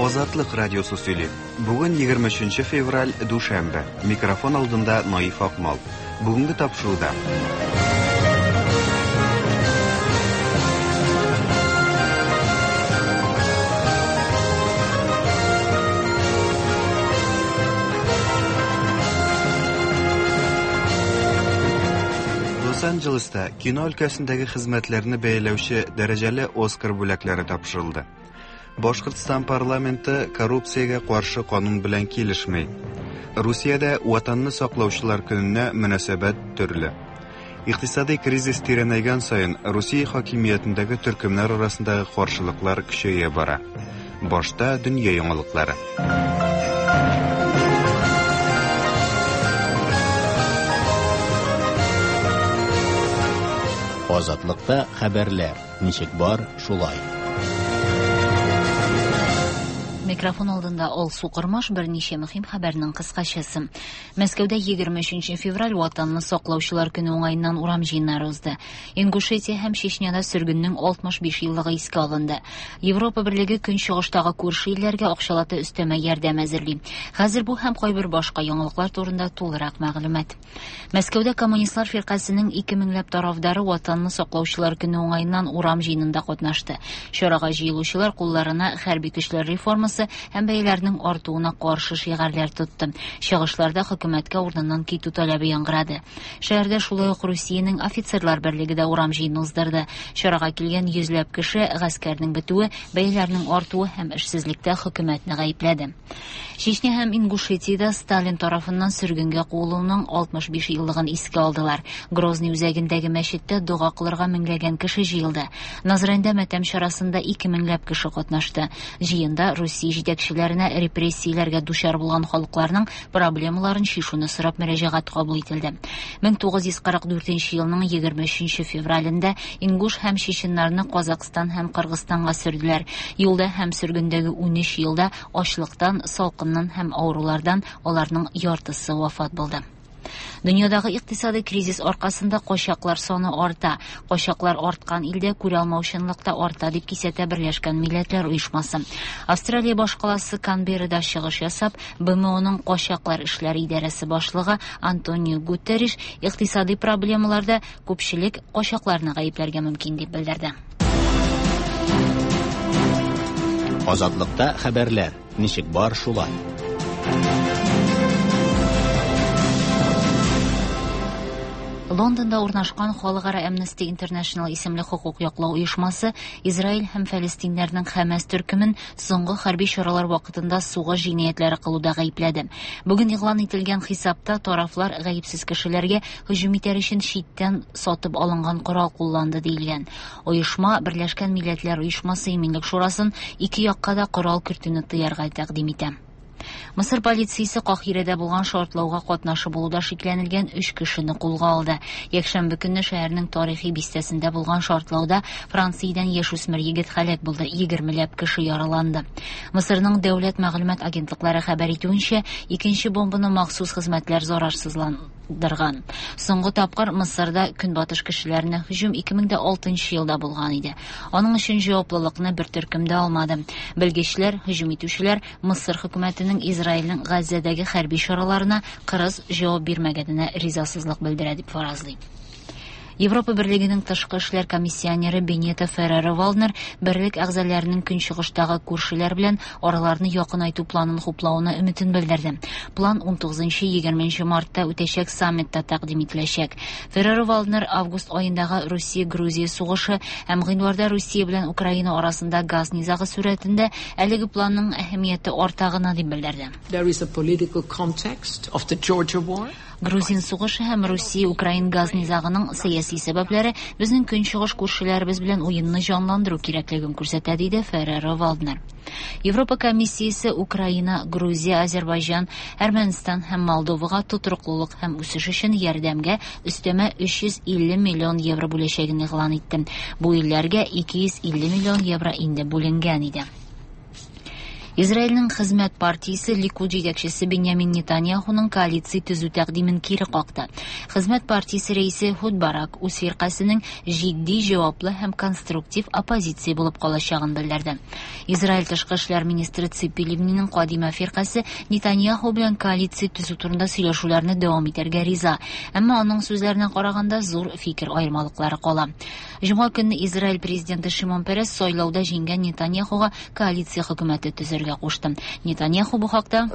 Азатлык радиосы сөйли. Бүген 23 февраль, дүшәмбе. Микрофон алдында Наиф Акмал. Бүгенге тапшыруда. Лос-Анджелеста кино өлкәсендәге хезмәтләрне бәяләүче дәрәҗәле Оскар бүләкләре тапшырылды. Башкортстан парламенты коррупциягә каршы канун белән килешми. Русиядә Ватанны саклаучылар көненә мөнәсәбәт төрле. Икътисадый кризис тирәнәйгән саен Русия хакимиятендәге төркемнәр арасындагы каршылыклар көчәя бара. Башта дөнья яңалыклары. Азатлыкта хәбәрләр. Ничек бар, шулай. Микрофон алдында Алсу Кормаш берничә мөһим хәбәрнең кыскачасы. Мәскәүдә 23 февраль Ватанны саклаучылар көне уңаеннан урам җыеннары узды. Ингушетия һәм Чечняда сөргеннең 65 еллыгы искә алынды. Европа Берлеге көнчыгыштагы күрше илләргә акчалата өстәмә ярдәм әзерли. Хәзер бу һәм кайбер башка яңалыклар турында тулырак мәгълүмат. Мәскәүдә коммунистлар фиркасенең 2 меңләп тарафдары Ватанны саклаучылар көне уңаеннан урам җыенында катнашты. Чарага җыелучылар кулларына хәрби көчләр реформасы һәм бәяләрнең артуына каршы шигарләр тотты. Чыгышларда хөкүмәткә урыныннан китү таләбе яңгырады. Шәһәрдә шулай ук Русиянең офицерлар берлеге дә урам җыены уздырды. Чарага килгән йөзләп кеше гаскәрнең бетүе, бәяләрнең артуы һәм эшсезлектә хөкүмәтне гаепләде. Чечня һәм Ингушетиядә Сталин тарафыннан сөргенгә куылуның 65 еллыгын искә алдылар. Грозный үзәгендәге мәчеттә дога кылырга меңләгән кеше җыелды. Назранда матәм чарасында 2 меңләп кеше катнашты. Җыенда Русия җитәкчеләренә репрессияләргә дучар булган халыкларның проблемаларын чишүне сорап мөрәҗәгать кабул ителде. 1944 елның 23 февралендә ингуш һәм чеченнарны Казакъстан һәм Кыргызстанга сөрделәр. Юлда һәм сөргендәге 13 елда ачлыктан, салкыннан һәм авырулардан аларның яртысы вафат булды. Дөньядагы икътисадый кризис аркасында качаклар саны арта. Качаклар арткан илдә күрә алмаучанлык та арта, дип кисәтә Берләшкән Милләтләр Оешмасы. Австралия башкаласы Канберрада чыгыш ясап, БМОның качаклар эшләре идарәсе башлыгы Антонио Гутерриш икътисадый проблемаларда күпчелек качакларны гаепләргә мөмкин дип белдерде. Азатлыкта хәбәрләр. Ничек бар, шулай. Лондонда урнашкан Халыкара Amnesty International исемле хокук яклау оешмасы Израиль һәм фәлестиннәрнең Хәмәс төркемен соңгы хәрби чаралар вакытында сугыш җинаятьләре кылуда гаепләде. Бүген игълан ителгән хисапта тарафлар гаепсез кешеләргә һөҗүм итәр өчен читтән сатып алынган корал кулланды диелгән. Оешма Берләшкән Милләтләр Оешмасы Иминлек Шурасын ике якка да корал кертүне тыярга тәкъдим итә. Мысыр полициясе Каһирәдә булган шартлауга катнашы булуда шикләнелгән 3 кешене кулга алды. Якшәмбе көнне шәһәрнең тарихи бистәсендә булган шартлауда Франциядән яшүсмер егет һәлак булды, 20ләп кеше яраланды. Мысырның дәүләт мәгълүмат агентлыклары хәбәр итүенчә, икенче бомбаны махсус хезмәтләр зарарсызландырган. Соңгы тапкыр Мысырда көнбатыш кешеләренә һөҗүм 2006 елда булган иде. Аның өчен җаваплылыкны бер төркем дә алмады. Белгечләр, һөҗүм итүчеләр Мысыр хөкүмәтенең Израильнең Газзәдәге хәрби чараларына кырыс җавап бирмәгәненә ризасызлык белдерә дип фаразлый. Европа Берлегенең тышкы эшләр комиссионеры Бенито Ферреро-Валднер берлек әгъзаларының көнчыгыштагы күршеләр белән араларны якынайту планын хуплавына өметен белдерде. План 19-20 мартта үтәчәк саммитта тәкъдим ителәчәк. Ферреро-Валднер август аендагы Русия-Грузия сугышы һәм гыйнварда Русия белән Украина арасында газ низагы сурәтендә әлеге планның әһәмияте арта гына дип белдерде. There is a political context of the Georgia war. Грузин сугышы һәм Русия-Украин газ низагының сәяси сәбәпләре безнең көнчыгыш күршеләребез белән уенны җанландыру кирәклеген күрсәтә, диде Ферреро-Валднер. Европа комиссиясе Украина, Грузия, Азербайҗан, Әрмәнстан һәм Молдовага тотрыклылык һәм үсеш өчен ярдәмгә өстәмә 350 миллион евро бүләчәген игълан итте. Бу илләргә 250 миллион евро инде бүленгән иде. Израильнең Хезмәт партиясе Ликуд җитәкчесе Беньямин Нетаньяхуның коалиция төзү тәкъдимен кире какты. Хезмәт партиясе рәисе Эхуд Барак үз фиркасенең җитди, җаваплы һәм конструктив оппозиция булып калачагын белдерде. Израиль тышкы эшләр министры Ципи Ливниның Кадима фиркасе Нетаньяху белән коалиция төзү турында сөйләшүләрне дәвам итәргә риза. Әмма аның сүзләренә караганда, зур фикер аермалыклары кала. Җомга көнне Израиль президенты Шимон Перес сайлауда җиңгән Нетаньяхуга коалиция хөкүмәте төзергә кушты. Нетаньяху бу хакта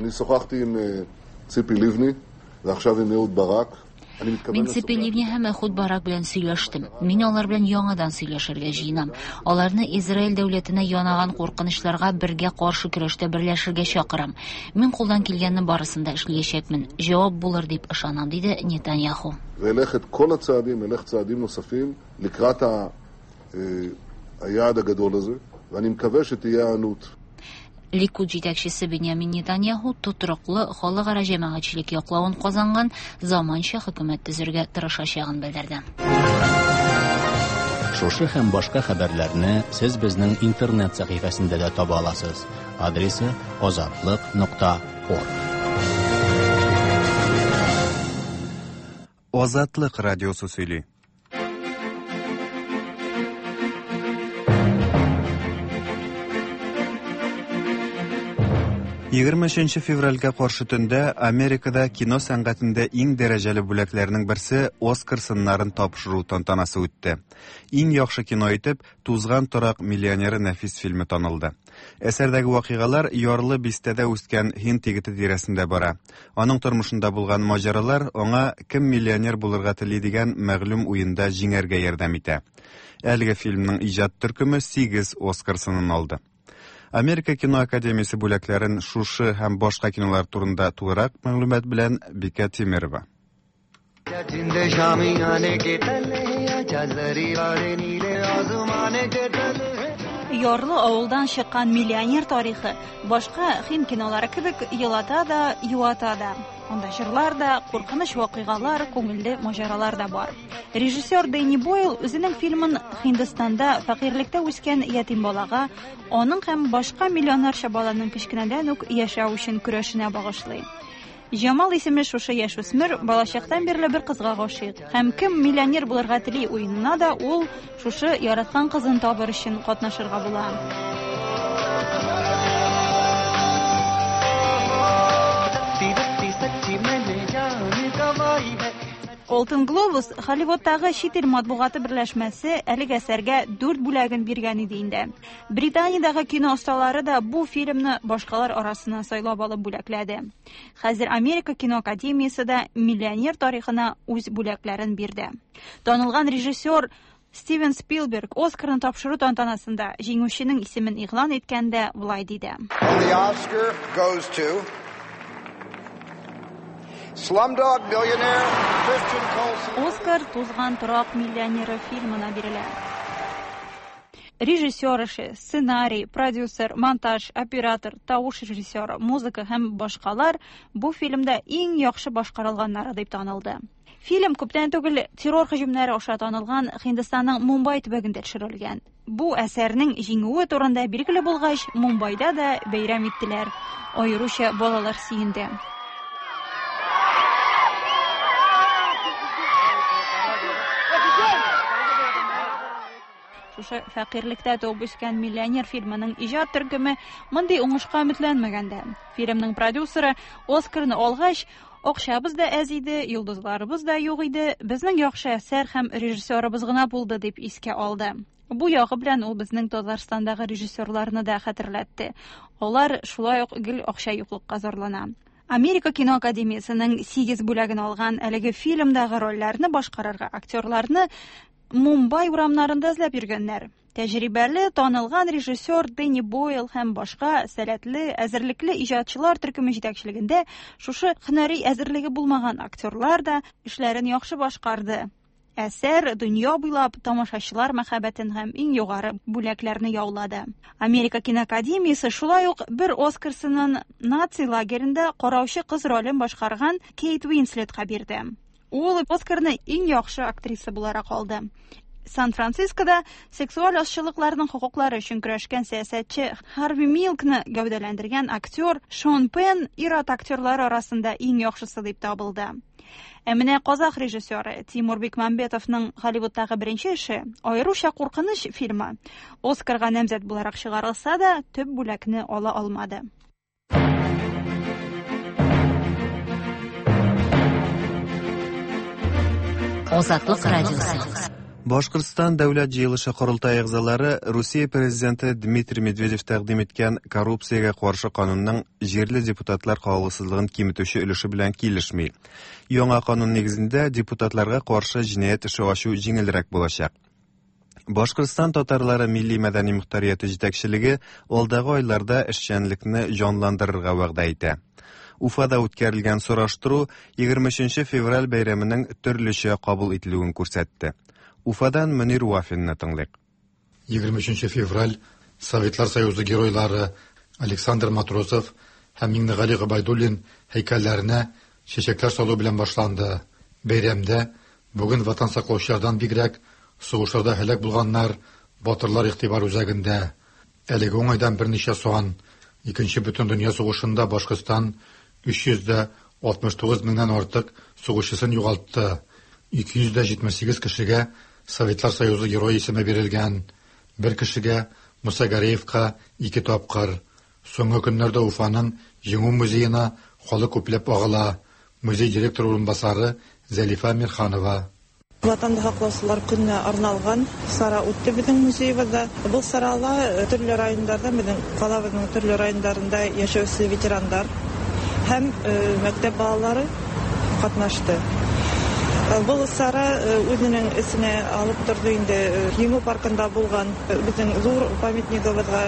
Мин Ципи Ливни һәм Эхуд Барак белән сөйләштем. Мин алар белән яңадан сөйләшергә җыенам. Аларны Израиль дәүләтенә янаган куркынычларга бергә каршы көрәштә берләшергә чакырам. Мин кулдан килгәнне барысын да эшләячәкмен. Җавап булыр дип ышанам, диде Нетаньяху. לקראת היעד הגדול הזה, ואני מקווה שתהיה היענות. Ликуд җитәкчесе Беньямин Нетаньяху тотрыклы халыкара җәмәгатьчелек яклавын казанган заманча хөкүмәт төзергә тырышачагын белдерде. Шушы һәм башка хәбәрләрне сез безнең интернет сәхифәсендә дә таба аласыз. Адресы azatliq.org. Азатлык радиосы сөйли. 23 февральгә каршы төндә Америкада кино сәнгатендә иң дәрәҗәле бүләкләрнең берсе Оскар сыннарын тапшыру тантанасы үтте. Иң яхшы кино итеп Тузган торак миллионеры нәфис фильмы танылды. Әсәрдәге вакыйгалар ярлы бистәдә үскән һинд егете тирәсендә бара. Аның тормышында булган маҗаралар аңа кем миллионер булырга тели дигән мәгълүм уенда җиңәргә ярдәм итә. Әлеге фильмның иҗат төркеме 8 Оскар сынын алды. Америка кино академиясе бүләкләрен шушы һәм башка кинолар турында тулырак мәгълүмат белән Бикә Тимирова. Ярлы авылдан чыккан миллионер тарихы башка һинд кинолары кебек елата да, юата да. Анда җырлар да, куркыныч вакыйгалар, күңелле маҗаралар да бар. Режиссер Дэнни Бойл үзенең фильмын Һиндстанда фәкыйрьлектә үскән ятим балага, аның һәм башка миллионнарча баланың кечкенәдән үк яшәү өчен көрәшенә багышлый. Җамал исемле шушы яшүсмер балачактан бирле бер кызга гашыйк. Һәм кем миллионер булырга тели уенына да ул шушы яраткан кызын табыр өчен катнашырга була. Алтын Глобус Холливудтагы чит ил матбугаты берләшмәсе әлеге әсәргә 4 бүләген биргән иде инде. Британиядәге кино осталары да бу фильмны башкалар арасыннан сайлап алып бүләкләде. Хәзер Америка кино академиясе дә миллионер тарихына үз бүләкләрен бирде. Танылган режиссер Стивен Спилберг Оскарны тапшыру тантанасында җиңүченең исемен игълан иткәндә болай диде. The Oscar goes to Slumdog Millionaire Christian Colson. Оскар Тузган торак миллионеры фильмына бирелә. Режиссер эше, сценарий, продюсер, монтаж, оператор, тавыш режиссеры, музыка һәм башкалар бу фильмда иң яхшы башкарылганнары дип танылды. Фильм күптән түгел террор һөҗүмнәре аша танылган Һиндстанның Мумбай төбәгендә төшерелгән. Бу әсәрнең җиңүе турында билгеле булгач, Мумбайда да бәйрәм иттеләр. Аеруча балалар сөенде. Шушы фәкыйрьлектә туып үскән миллионер фильмының иҗат төркеме мондый уңышка өметләнмәгән дә. Фильмның продюсеры Оскарны алгач, акчабыз да әз иде, йолдызларыбыз да юк иде, безнең яхшы әсәр һәм режиссерыбыз гына булды дип искә алды. Бу ягы белән ул безнең Татарстандагы режиссерларны да хәтерләтте. Алар шулай ук гел акча юклыкка зарлана. Америка кино академиясенең 8 бүләген алган әлеге фильмдагы рольләрне башкарырга актерларны Мумбай урамнарында эзләп йөргәннәр. Тәҗрибәле, танылган режиссер Дэнни Бойл һәм башка сәләтле, әзерлекле иҗатчылар төркеме җитәкчелегендә шушы һөнәри әзерлеге булмаган актерлар да эшләрен яхшы башкарды. Әсәр дөнья буйлап тамашачылар мәхәббәтен һәм иң югары бүләкләрне яулады. Америка киноакадемиясе шулай ук бер Оскарсының наци лагерендә караучы кыз ролен башкарган Кейт Уинслетка бирде. Ул Оскарны иң яхшы актриса буларак алды. Сан-Францискода сексуаль азчылыкларның хокуклары өчен көрәшкән сәясәтче Харви Милкны гәүдәләндергән актер Шон Пен ир-ат актерлары арасында иң яхшысы дип табылды. Ә менә казах режиссеры Тимур Бекмамбетовның Голливудтагы беренче эше, аеруча куркыныч фильмы, Оскарга намзәт буларак чыгарылса да, төп бүләкне ала алмады. Азатлык радиосы. Башкортстан дәүләт җыелышы корылтай әгъзалары Русия президенты Дмитрий Медведев тәкъдим иткән коррупциягә каршы канунның җирле депутатлар кагылгысызлыгын киметүче өлеше белән килешми. Яңа канун нигезендә депутатларга каршы җинаять эше ачу җиңелрәк булачак. Башкортстан татарлары милли мәдәни мөхтәрияте җитәкчелеге алдагы айларда эшчәнлекне җанландырырга вәгъдә итә. Уфада үткәрелгән сораштыру 23 февраль бәйрәменең төрлечә кабул ителүен күрсәтте. Уфадан Мөнир Вафинны тыңлыйк. 23 февраль Советлар Союзы геройлары Александр Матросов һәм Миңнегали Гобәйдуллин һәйкәлләренә чәчәкләр салу белән башланды. Бәйрәмдә бүген ватан саклаучылардан бигрәк сугышларда һәлак булганнар, батырлар игътибар үзәгендә. Әлеге уңайдан берничә сан. Икенче бөтендөнья сугышында Башкортстан 369 меңнән артык сугышчысын югалтты. 278 кешегә Советлар Союзы герое исеме бирелгән. Бер кешегә Муса Гареевка ике тапкыр. Соңгы көннәрдә Уфаның Җиңү музеена халык күпләп агыла. Музей директоры урынбасары Зәлифә Мирханова. Ватанды һаҡлаусылар көнөнә арналған сара үтте беҙҙең музейыбыҙҙа. Был сарала төрлө райондарҙан, беҙҙең ҡалабыҙҙың төрлө райондарында йәшәүсе ветерандар һәм мәктәп балалары ҡатнашты. Был сара үҙенең эсенә алып торҙо инде Еңеү паркында булған беҙҙең ҙур памятнигыбыҙға,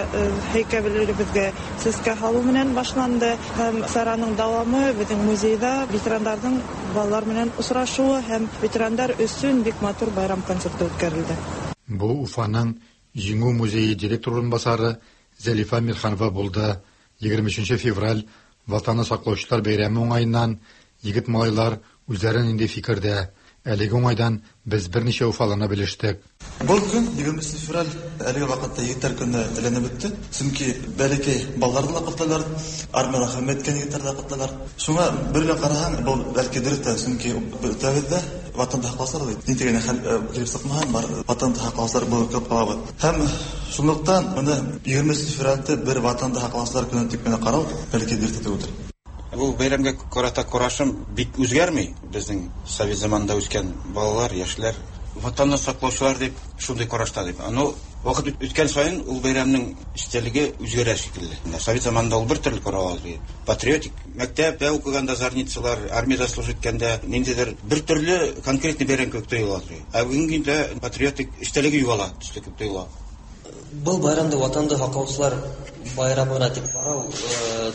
һәйкәлебеҙгә сәскә һалыу менән башланды. Һәм сараның дауамы беҙҙең музейҙа ветерандарҙың балалар менән осрашыуы һәм ветерандар өсөн бик матур байрам концерты үткәрелде. Бу Уфаның Еңеү музейы директор урынбасары Зәлифә Мирханова булды. 23 февраль Ватанны саклаучылар бәйрәме уңаеннан егет малайлар үзләре нинди фикердә? Әлеге уңайдан без берничә уфалыны белештек. Был көн 23 февраль әлеге ваҡытта егеттәр көнө әйләнеп үтте. Сөнки бәләкәй балаларҙы ла ҡотлайлар, армияла хеҙмәт иткән егеттәрҙе лә ҡотлайлар. Шуңа бер генә ҡараһаң, был бәлки дөрөҫ тә, сөнки бөтәбеҙ ҙә ватанды һаҡлаусылар бит. Ниндәй генә хәл килеп сыҡмаһын, бар ватанды һаҡлаусылар булып ҡалып ҡалабыҙ. Һәм шунлыҡтан бына 23 февральде бер ватанды һаҡлаусылар көнө тип кенә ҡарау бәлки дөрөҫ тә түгелдер. Был бәйрәмгә ҡарата ҡарашым бик үҙгәрмәй. Беҙҙең совет заманында үҫкән балалар, йәшләр ватанны саҡлаусылар тип шундай ҡарашта тип. Ну, ваҡыт үткән сайын ул бәйрәмнең эстәлеге үҙгәрә шикелле. Совет заманында ул бер төрлө ҡарала ине. Патриотик мәктәптә уҡығанда зарницалар, армияда служить иткәндә ниндәйҙер бер төрлө конкретный бәйрәм кеүек тойола ине. Ә бөгөнгө көндә патриотик эстәлеге юғала төҫлө кеүек тойола. Был байрамды ватанды һаҡлаусылар байрамына тип ҡарау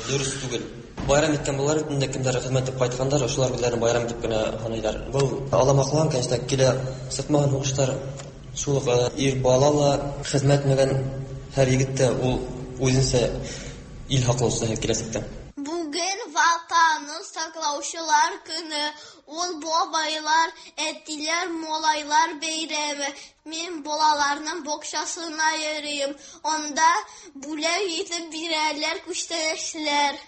дөрөҫ түгел. Байрам иткән балалар инде кемдәр хеҙмәт итеп ҡайтҡандар, ошолар үҙҙәрен байрам итеп кенә һанайҙар. Был аламаҡлан, конечно, килә сыҡмаған һуғыштар, шул уҡ ир бала ла хеҙмәт итмәгән һәр егет тә ул үҙенсә ил һаҡлаусыһы киләсәктә. Бүген Ватанны саҡлаусылар көнө, ул бабайлар, әтиләр, малайлар бәйрәме. Мин балаларның баҡсаһына йөрөйөм. Унда бүләк итеп бирәләр күстәнәсләр.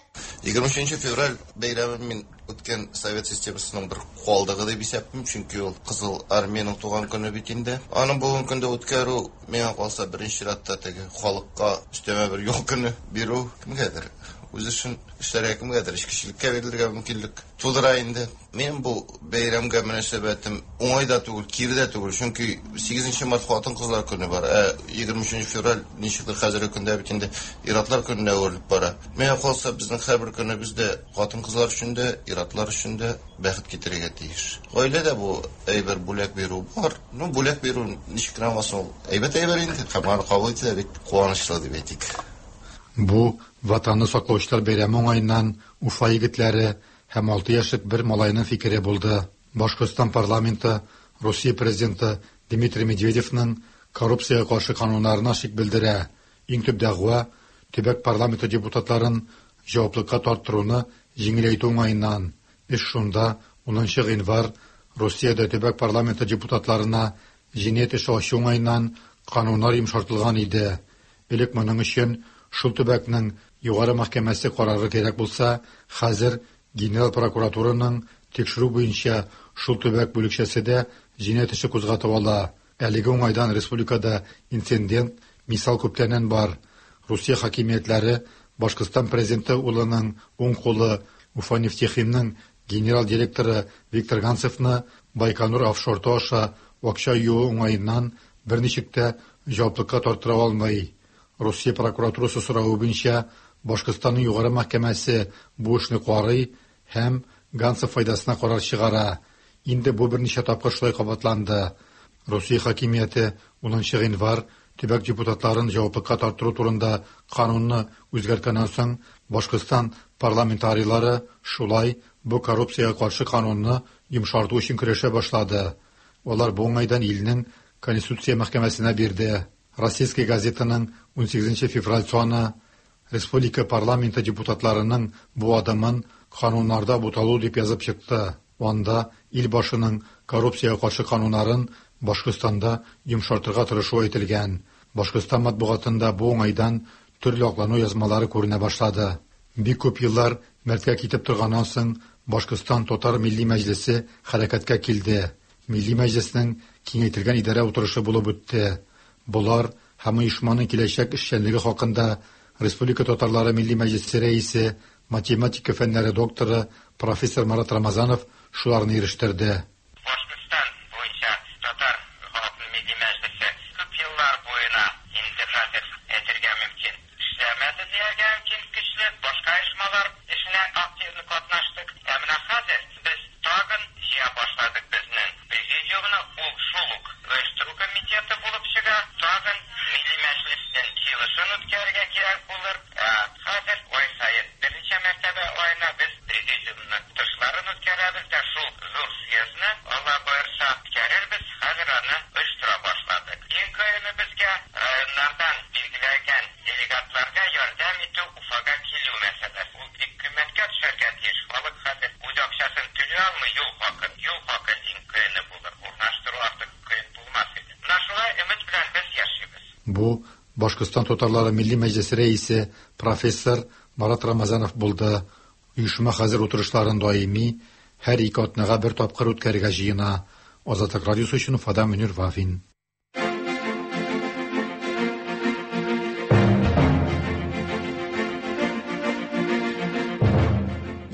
23 февраль бәйрәмен мин үткән совет системасының бер ҡалдығы дип иҫәплим, чөнки ул Ҡыҙыл армияның туған көнө бит инде. Аны бөгөнгө көндә үткәреү миңә ҡалса беренсе сиратта теге халыҡҡа өҫтәмә бер ял көнө биреү кемгәдер үҙ эшен эшләргә, кемгәдер эшкеселеккә бирелергә мөмкинлек тыуҙыра инде. Мин был бәйрәмгә мөнәсәбәтем уңай да түгел, кире дә түгел, чөнки 8 март хатын-ҡыҙлар көнө бар, ә 23 февраль нисектер хәзерге көндә бит инде ир-атлар көненә әүерелеп бара. Миңә ҡалса, беҙҙең һәр бер көнөбөҙ дә хатын-ҡыҙлар өсөн дә, ир-атлар өсөн дә бәхет китерергә тейеш. Ғаиләдә бу әйбер бүләк биреү бар. Ну, бүләк биреү нисек кенә булмасын, ул әйбәт әйбер инде. Һәм аны ҡабул итә бик ҡыуаныслы дип әйтик. Бу Ватанны саклаучылар бәйрәме уңаеннан Уфа егетләре һәм 6 яшьлек бер малайның фикере булды. Башкортстан парламенты Русия президенты Дмитрий Медведевның коррупциягә каршы кануннарына шик белдерә. Иң төп дәгъва төбәк парламенты депутатларын җаваплылыкка тарттыруны җиңеләйтү уңаеннан. Эш шунда 10 гыйнвар Русиядә төбәк парламенты депутатларына җинаять эше ачу уңаеннан кануннар йомшартылган иде. Элек моның өчен шул төбәкнең Югары мәхкәмәсе карары кирәк булса, хәзер Генераль прокуратураның тикшерү буенча шул төбәк бүлекчәсе дә җинаять эше кузгатып ала. Әлеге уңайдан республикада инцидент, мисал күптәннән бар. Русия хакимиятләре Башкортстан президенты улының уң кулы Уфанефтехимның генераль директоры Виктор Ганцевны Байконур офшорты аша акча юуу уңаеннан берничек тә җаваплылыкка тарттыра алмый. Русия прокуратурасы соравы буенча Башкортстанның Югары мәхкәмәсе бу эшне карый һәм Ганцев файдасына карар чыгара. Инде бу берничә тапкыр шулай кабатланды. Русия хакимияте 10 гыйнвар төбәк депутатларын җаваплылыкка тарттыру турында канунны үзгәрткәннән соң Башкортстан парламентарийлары шулай бу коррупциягә каршы канунны йомшарту өчен көрәшә башлады. Алар бу уңайдан илнең Конституция мәхкәмәсенә бирде. Российская газетаның 18 февраль саны республика парламенты депутатларының бу адымын кануннарда буталу дип язып чыкты. Анда ил башының коррупциягә каршы кануннарын Башкортстанда йомшартырга тырышуы әйтелгән. Башкортстан матбугатында бу уңайдан төрле аклану язмалары күренә башлады. Бик күп еллар мәрткә китеп торганнан соң Башкортстан Татар Милли Мәҗлесе хәрәкәткә килде. Милли Мәҗлеснең киңәйтелгән идарә утырышы булып үтте. Болар һәм оешманың киләчәк эшчәнлеге хакында Республика татарлары Милли Мәҗлесе рәисе, математика фәннәре докторы, профессор Марат Рамазанов шуларны ирештерде. Башкортстан буенча татар халыкның Милли Мәҗлесе күп еллар буена инде хәзер әйтергә мөмкин, эшләмәде дияргә мөмкин, көчле башка оешмалар эшенә активно катнаштык. Ә менә хәзер без тагын җыя башладык безнең президиумны, ул шул ук оештыру комитеты булып чыга, тагын Милли Мәҗлеснең җыелышын үткәрергә кирәк булыр. Ә хәзер ай саен берничә мәртәбә аена без президиумның утырышларын үткәрәбез дә, шул зур съездны, Алла боерса, үткәрербез. Хәзер аны оештыра башладык. Иң кыены безгә районнардан билгеләнгән делегатларга ярдәм итү, Уфага килү мәсьәләсе. Ул бик кыйммәткә төшәргә тиеш. Халык хәзер үз акчасын түли алмый юл хакын. Юл хакы иң кыены булыр. Урнаштыру артык кыен булмас иде. Менә шулай өмет белән без яшибез. Бу Башкортстан татарлары Милли Мәҗлесе рәисе профессор Марат Рамазанов булды. Оешма хәзер утырышларын даими һәр ике атнага бер тапкыр үткәрергә җыена. Азатлык радиосы өчен Уфадан Мөнир Вафин.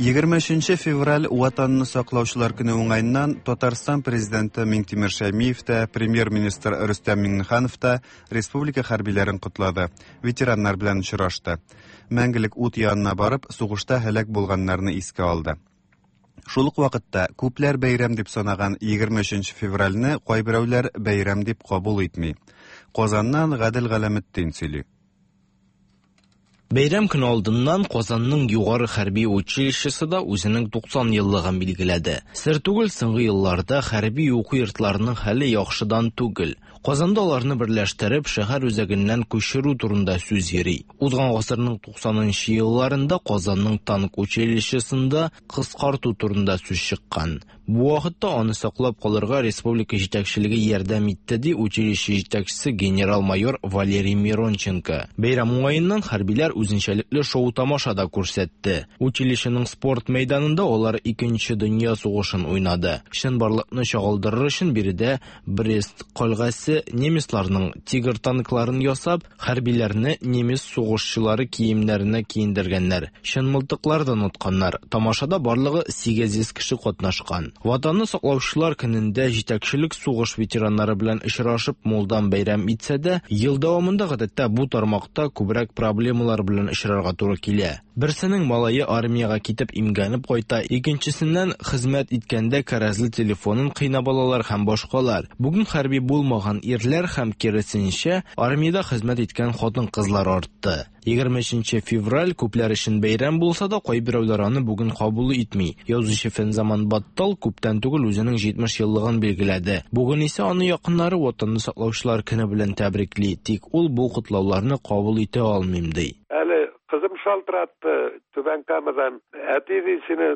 23 февраль Ватанны саклаучылар көне уңаеннан Татарстан президенты Миңтимер Шәймиев тә, премьер-министр Рөстәм Миңнеханов та республика хәрбиләрен котлады, ветераннар белән очрашты. Мәңгелек ут янына барып, сугышта һәлак булганнарны искә алды. Шул ук вакытта күпләр бәйрәм дип санаган 23 февральне кайберәүләр бәйрәм дип кабул итми. Казаннан Гадел Галәметдин сөйли. Бәйрәм көне алдыннан Казанның югары хәрби училищесы да үзенең 90 еллыгын билгеләде. Сер түгел, соңгы елларда хәрби уку йортларының хәле яхшыдан түгел. Казанда аларны берләштереп, шәһәр үзәгеннән күчерү турында сүз йөри. Узган гасырның 90 елларында Казанның танк училищесында кыскарту турында сүз чыккан. Бу вакытта аны саклап калырга республика җитәкчелеге ярдәм итте, ди училище җитәкчесе генерал-майор Валерий Миронченко. Бәйрәм уңаеннан хәрбиләр үзенчәлекле шоу-тамаша да күрсәтте. Училищеның спорт мәйданында алар Икенче дөнья сугышын уйнады. Чынбарлыкны чагылдырыр өчен биредә Брест кальгасе немецларның Тигр танкларын ясап, хәрбиләрне немец сугышчылары киемнәренә киендергәннәр. Чын мылтыклардан атканнар. Тамашада барлыгы 800 кеше катнашкан. Ватанны саклаучылар көнендә җитәкчелек сугыш ветераннары белән очрашып мулдан бәйрәм итсә дә, ел дәвамында гадәттә бу тармакта күбрәк проблемалар белән очрарга туры килә. Берсенең малае армиягә китеп имгәнеп кайта, икенчесеннән хезмәт иткәндә кәрәзле телефонын кыйнап алалар һәм башкалар. Бүген хәрби булмаган ирләр һәм киресенчә армиядә хезмәт иткән хатын-кызлар артты. 23 февраль күпләр өчен бәйрәм булса да, кайберәүләр аны бүген кабул итми. Язучы Фәнзаман Баттал күптән түгел үзенең 70 еллыгын билгеләде. Бүген исә аны якыннары Ватанны саклаучылар көне белән тәбрикли, тик ул бу котлауларны кабул итә алмыйм ди. Әле кызым шалтыратты Түбән Камадан. Әти, ди, сине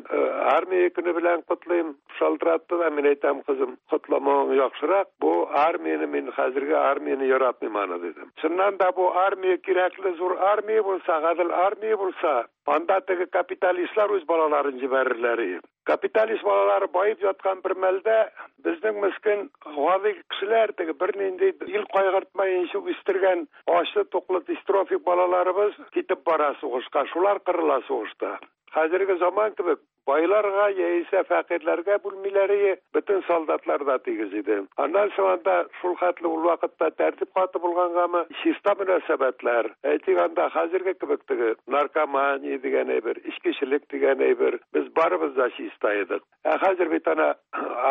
армия көне белән котлыйм. Шалтыратты да, мин әйтәм, кызым, котламавың яхшырак. Бу армияне мин хәзерге армияне яратмыйм аны, дидем. Чыннан да бу армия кирәкле зур армия булса, гадел армия булса, анда теге капиталистлар үз балаларын җибәрерләр иде. Капиталист балалары баеп яткан бер мәлдә безнең мескен гади кешеләр, теге бернинди ил кайгыртмаенча үстергән ачлы туклы дистрофик балаларыбыз китеп бара сугышка, шулар кырыла сугышта. Хәзерге заман кебек байларга яисә фәкыйрьләргә бүлмиләр ие, бөтен солдатлар да тигез иде. Аннан соң анда шул хәтле ул вакытта тәртип каты булгангамы, чиста мөнәсәбәтләр. Әйтик, анда хәзерге кебек теге наркомания дигән әйбер, эчкечелек дигән әйбер, без барыбыз да чиста идек. Ә хәзер бит ана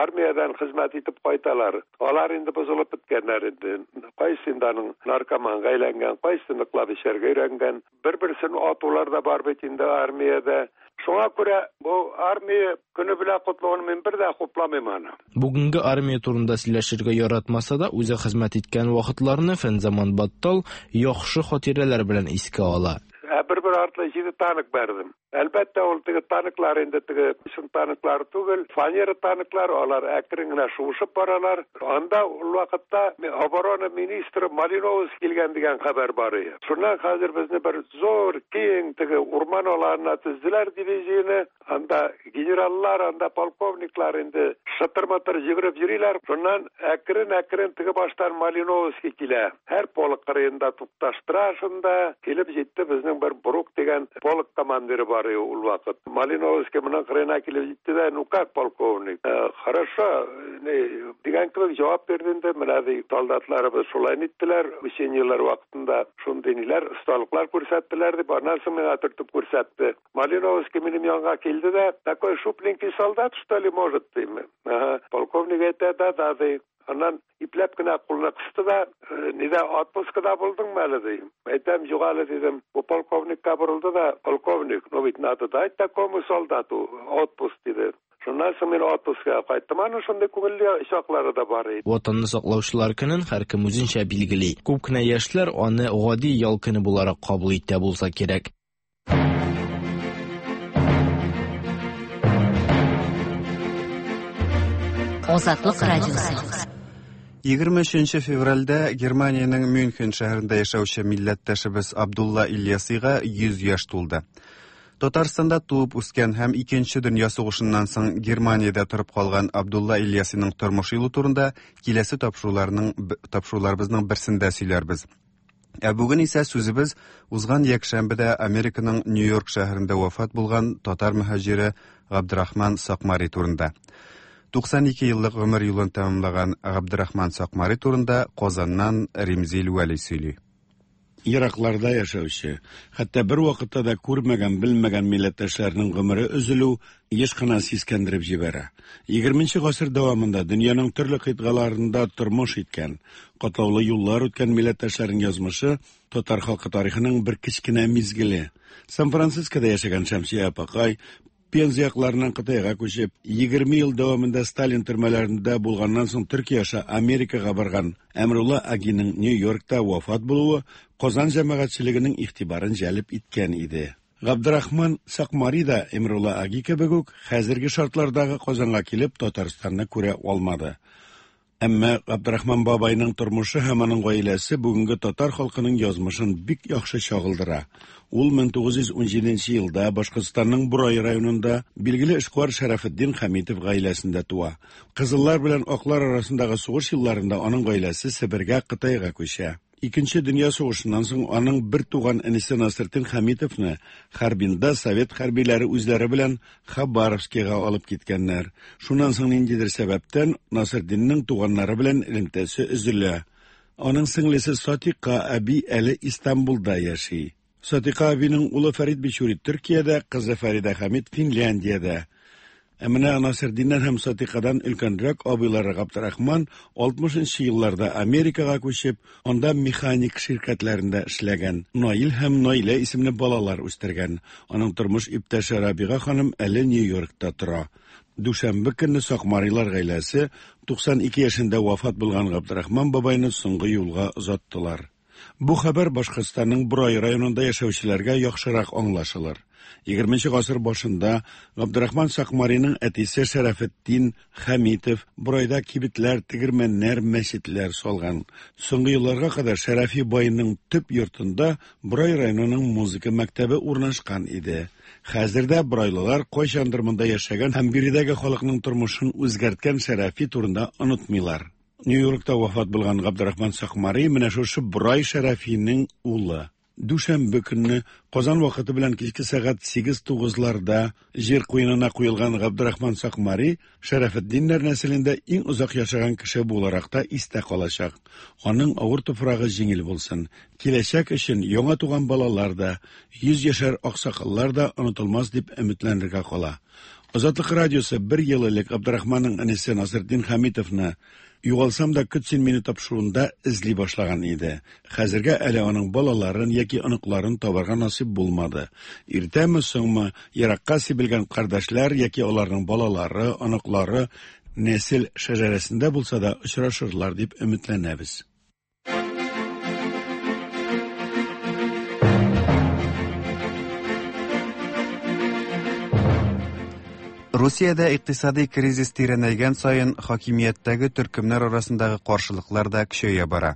армиядән хезмәт итеп кайталар. Алар инде бозылып беткәннәр инде. Кайсы инде аның наркоманга әйләнгән, кайсы ныклап эчәргә өйрәнгән. Бер-берсен атулар да бар бит инде армиядә. Шуңа күрә бу армия көне белән котлавын мин бер дә хупламыйм аны. Бүгенге армия турында сөйләшергә яратмаса да, үзе хезмәт иткән вакытларны Фәнзаман Баттал яхшы хатирәләр белән искә ала. Ә бер-бер артлы җиде танк бәрдем. Әлбәттә, ул теге танклар инде теге чын танклар түгел, фанера танклар, алар әкрен генә шуышып баралар. Анда ул вакытта оборона министры Малиновский килгән дигән хәбәр бар иде. Шуннан хәзер безне бер зур, киң теге урман аланына төзделәр дивизияне. Анда генераллар, анда полковниклар инде шытыр-мытыр йөгереп йөриләр. Шуннан әкрен-әкрен теге баштан Малиновский килә. Һәр полк кырыенда тукташтыра шунда. Килеп җитте безнең бер Брук дигән полк командиры бар иде ул вакыт. Малиновский моның кырыена килеп җитте дә, ну как, полковник? Хорошо, дигән кебек җавап бирде инде. Менә ди, солдатларыбыз шулай ниттеләр, учениеләр вакытында шундый ниләр, осталыклар күрсәттеләр дип, аннан соң миңа төртеп күрсәтте. Малиновский минем янга килде дә, такой шупленький солдат, что ли, может, дим. Ага, полковник әйтә, да, да, ди. Аннан ипләп кенә кулны кысты да, нидә отпускада булдыңмы әле, ди. Әйтәм, юк әле, дидем. Бу полковникка борылды да, полковник, ну ведь надо дать такому солдату отпуск, диде. Шуннан соң мин отпускага кайттым. Аның шундый күңелле чаклары да бар иде. Ватанны саклаучылар көнен һәркем үзенчә билгели. Күп кенә яшьләр аны гади ял көне буларак кабул итә булса кирәк. Азатлык радиосы. 23 февральдә Германиянең Мюнхен шәһәрендә яшәүче милләттәшебез Абдулла Ильясига 100 яшь тулды. Татарстанда туып үскән һәм Икенче дөнья сугышыннан соң Германиядә торып калган Абдулла Ильясиның тормыш юлы турында киләсе тапшыруларның тапшыруларыбызның берсендә сөйләрбез. Ә бүген исә сүзебез узган якшәмбедә Американың Нью-Йорк шәһәрендә вафат булган татар мөһаҗире Габдрахман Сакмари турында. 92 еллык гомер юлын тәмамлаган Габдрахман Сакмари турында Казаннан Римзил Вәли сөйли. Еракларда яшәүче, хәтта бер вакытта да күрмәгән, белмәгән милләттәшләрнең гомере өзелү еш кына сискәндереп җибәрә. 20 гасыр дәвамында дөньяның төрле кыйтгаларында тормыш иткән, катлаулы юллар үткән милләттәшләрнең язмышы татар халкы тарихының бер кечкенә мизгеле. Сан-Францискода яшәгән Шәмсия апакай Пенза якларыннан Кытайга күчеп, 20 ел дәвамында Сталин төрмәләрендә булганнан соң Төркия аша Америкага барган Әмрулла Агиның Нью-Йоркта вафат булуы Казан җәмәгатьчелегенең игътибарын җәлеп иткән иде. Габдрахман Сакмари да Эмрулла Аги кебек үк хәзерге шартлардагы Казанга килеп Татарстанны күрә алмады. Әмма Габдрахман бабайның тормышы һәм аның гаиләсе бүгенге татар халкының язмышын бик яхшы чагылдыра. Ул 1917 елда Башкортстанның Бурай районында билгеле эшкуар Шәрәфетдин Хәмитов гаиләсендә туа. Кызыллар белән аклар арасындагы сугыш елларында аның гаиләсе Себергә, Кытайга күчә. Икенче дөнья сугышыннан соң аның бер туган энесе Насретдин Хәмитовны Харбинда совет хәрбиләре үзләре белән Хабаровскига алып киткәннәр. Шуннан соң ниндидер сәбәптән Насретдинның туганнары белән элемтәсе өзелә. Аның сеңлесе Сатика әби әле Истанбулда яши. Сатика әбинең улы Фәрид Бичури Төркиядә, кызы Фәридә Хәмит Финляндиядә. Ә менә Насырдиннән һәм Сатикадан өлкәнрәк абыйлары Габдрахман 60 елларда Америкага күчеп, анда механик ширкәтләрендә эшләгән. Наил һәм Наилә исемле балалар үстергән. Аның тормыш иптәше Рабига ханым әле Нью-Йоркта тора. Дүшәмбе көнне Сакмарилар гаиләсе 92 яшендә вафат булган Габдрахман бабайны соңгы юлга озаттылар. Бу хәбәр Башкортстанның Борай районында яшәүчеләргә яхшырак аңлашылыр. 20 гасыр башында Габдрахман Сакмариның әтисе Шәрәфетдин Хәмитов Борайда кибетләр, тегермәннәр, мәчетләр салган. Соңгы елларга кадәр Шәрәфи байның төп йортында Борай районының музыка мәктәбе урнашкан иде. Хәзер дә борайлылар кайчандыр монда яшәгән һәм биредәге халыкның тормышын үзгәрткән Шәрәфи турында онытмыйлар. Нью-Йоркта вафат булган Габдрахман Сакмари менә шушы Борай Шәрәфинең улы. Дүшәмбе көнне Казан вакыты белән кичке сәгать 8-9ларда җир куенына куелган Габдрахман Сакмари Шәрәфетдиннәр нәселендә иң озак яшәгән кеше буларак та истә калачак. Аның авыр туфрагы җиңел булсын. Киләчәк өчен яңа туган балалар да, 100 яшәр аксакаллар да онытылмас дип өметләнергә кала. Азатлык радиосы бер ел элек Габдрахманның энесе Насретдин Хәмитовны Югалсам да көт син мине тапшыруында эзли башлаган иде. Хәзергә әле аның балаларын яки оныкларын табарга насыйп булмады. Иртәме, соңмы, еракка сибелгән кардәшләр яки аларның балалары, оныклары нәсел шәҗәрәсендә булса да очрашырлар дип өметләнәбез. Русиядә икътисади кризис тирәнәйгән саен хакимияттәге төркемнәр арасындагы каршылыклар да көчәя бара.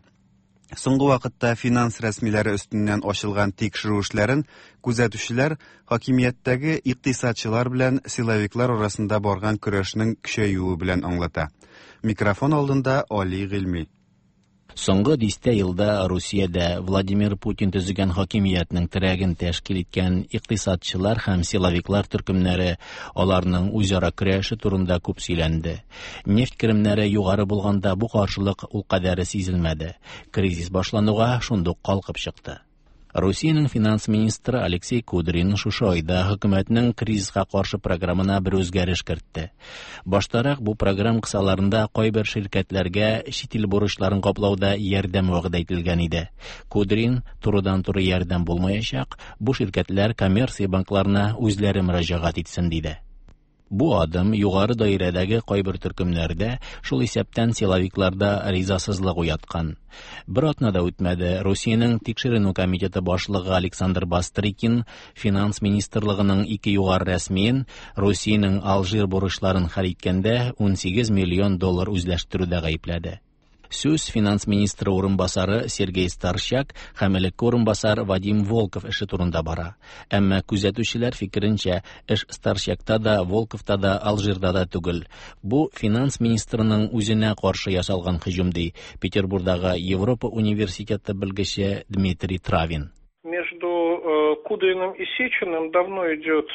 Соңгы вакытта финанс рәсмиләре өстеннән ачылган тикшерү эшләрен күзәтүчеләр хакимияттәге икътисадчылар белән силовиклар арасында барган көрәшнең көчәюе белән аңлата. Микрофон алдында Али Гыйльми. Соңгы дистә елда Русиядә Владимир Путин төзегән хакимиятнең терәген тәшкил иткән икътисадчылар һәм силовиклар төркемнәре, аларның үзара көрәше турында күп сөйләнде. Нефть керемнәре югары булганда бу каршылык ул кадәре сизелмәде. Кризис башлануга шундук калкып чыкты. Русиянең финанс министры Алексей Кудрин шушы айда хөкүмәтнең кризиска каршы программына бер үзгәреш кертте. Баштарак бу программ кысаларында кайбер ширкәтләргә чит ил бурычларын каплауда ярдәм вәгъдә ителгән иде. Кудрин турыдан-туры ярдәм булмаячак, бу ширкәтләр коммерция банкларына үзләре мөрәҗәгать итсен диде. Бу адым югары даирәдәге кайбер төркемнәрдә, шул исәптән силовикларда ризасызлык уяткан. Бер атна да үтмәде, Русиянең тикшеренү комитеты башлыгы Александр Бастрыкин финанс министрлыгының ике югары рәсмиен Русиянең Алжир бурычларын хәл иткәндә 18 миллион доллар үзләштерүдә гаепләде. Сүз финанс министры урынбасары Сергей Старщак һәм элекке урынбасар Вадим Волков эше турында бара. Әмма күзәтүчеләр фикеренчә, эш Старщакта да, Волковта да, Алжирда да түгел. Бу финанс министрының үзенә каршы ясалган һөҗүм, ди Петербурдагы Европа университеты белгече Дмитрий Травин. Между Кудриным и Сечиным давно идет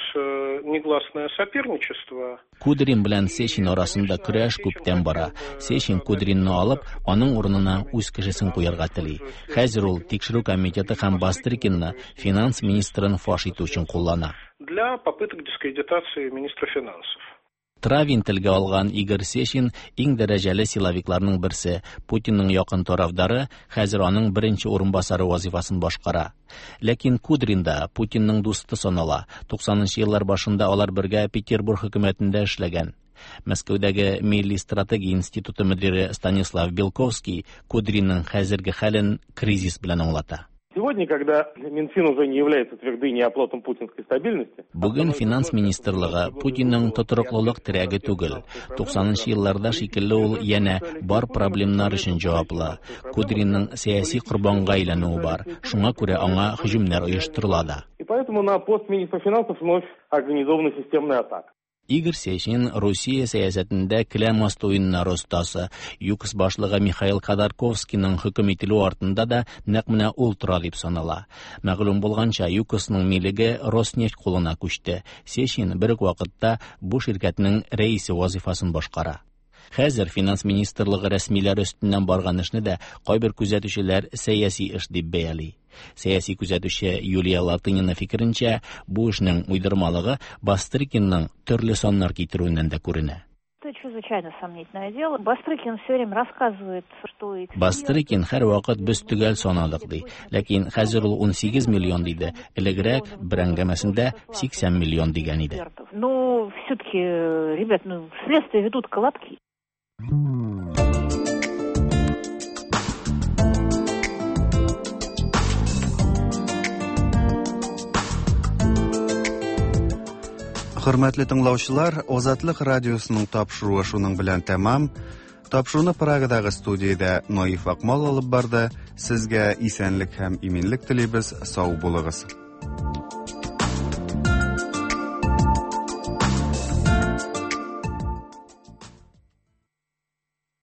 негласное соперничество. Кудрин белән Сечин арасында көрәш күптән бара. Сечин Кудринны алып, аның урынына үз кешесен куярга тели. Хәзер ул тикшерү комитеты һәм Бастрыкинны финанс министрын фаш итү өчен куллана. Для попыток дискредитации министра финансов. Травин телгә алган Игорь Сечин иң дәрәҗәле силовикларның берсе, Путинның якын тарафдары, хәзер аның беренче урынбасары вазифасын башкара. Ләкин Кудрин да Путинның дусты санала. 90 еллар башында алар бергә Петербург хөкүмәтендә эшләгән. Мәскәүдәге Милли стратегия институты мөдире Станислав Белковский Кудринның хәзерге хәлен кризис белән аңлата. Сегодня, когда Минфин уже не является твердыней и оплотом путинской стабильности... Бүген финанс министрлыгы Путинның тотрыклылык терәге түгел. 90 елларда шикелле ул янә бар проблемнар өчен җаваплы. Кудринның сәяси корбанга әйләнүе бар. Шуңа күрә аңа һөҗүмнәр оештырыла да. И поэтому на пост министра финансов вновь организована системная атака. Игорь Сечин Русия сәясәтендә келәм асты уеннары остасы. ЮКОС башлыгы Михаил Ходорковскийның хөкем ителү артында да нәкъ менә ул тора дип санала. Мәгълүм булганча, ЮКОСның милеге Роснефть кулына күчте. Сечин бер үк вакытта бу ширкәтнең рәисе вазифасын башкара. Хәзер финанс министрлыгы рәсмиләре өстеннән барган эшне дә кайбер күзәтүчеләр сәяси эш дип бәяли. Сәяси күзәтүче Юлия Латынина фикеренчә, бу эшнең уйдырмалыгы Бастрыкинның төрле саннар китерүеннән дә күренә. Это чрезвычайно сомнительное дело. Бастрыкин все время рассказывает, что эксперт... Бастрыкин һәрвакыт без төгәл санадык ди. Ләкин хәзер ул 18 миллион диде. Элегрәк бер әңгәмәсендә 80 миллион дигән иде. Ну, все-таки, ребят, ну, следствие ведут колобки. Хөрмәтле тыңлаучылар, Озатлык радиосының тапшыруы шуның белән тәмам. Тапшыруны Прагадагы студиядә Наиф Акмал алып барды. Сезгә исәнлек һәм иминлек телибез. Сау булыгыз.